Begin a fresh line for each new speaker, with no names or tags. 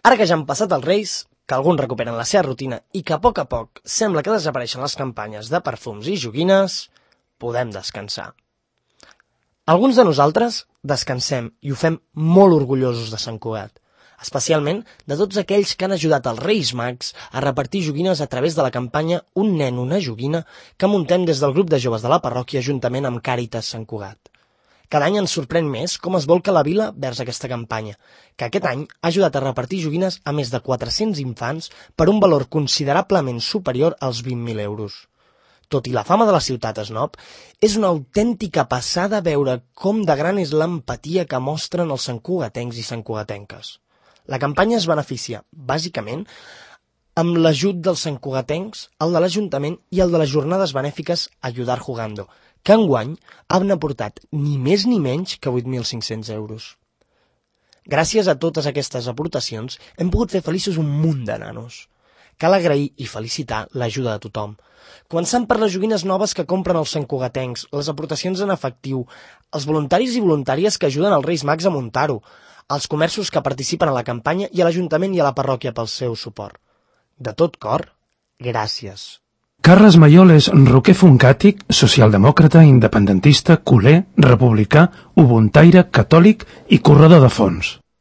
Ara que ja han passat els Reis, que alguns recuperen la seva rutina i que a poc sembla que desapareixen les campanyes de perfums i joguines, podem descansar. Alguns de nosaltres descansem i ho fem molt orgullosos de Sant Cugat, especialment de tots aquells que han ajudat els Reis Mags a repartir joguines a través de la campanya Un nen, una joguina que muntem des del grup de joves de la parròquia juntament amb Càritas Sant Cugat. Cada any ens sorprèn més com es volca la vila vers aquesta campanya, que aquest any ha ajudat a repartir joguines a més de 400 infants per un valor considerablement superior als 20.000 euros. Tot i la fama de la ciutat Snob, és una autèntica passada veure com de gran és l'empatia que mostren els santcugatencs i santcugatenques. La campanya es beneficia, bàsicament, amb l'ajut dels santcugatencs, el de l'Ajuntament i el de les jornades benèfiques Ayudar Jugando, que enguany han aportat ni més ni menys que 8.500 euros. Gràcies a totes aquestes aportacions hem pogut fer feliços un munt de nanos. Cal agrair i felicitar l'ajuda de tothom, començant per les joguines noves que compren els santcugatencs, les aportacions en efectiu, els voluntaris i voluntàries que ajuden els Reis Mags a muntar-ho, els comerços que participen a la campanya i a l'Ajuntament i a la parròquia pel seu suport. De tot cor, gràcies.
Carles Mayol és roquer funkàtic, socialdemòcrata, independentista, culer, republicà, ubuntaire, catòlic i corredor de fons.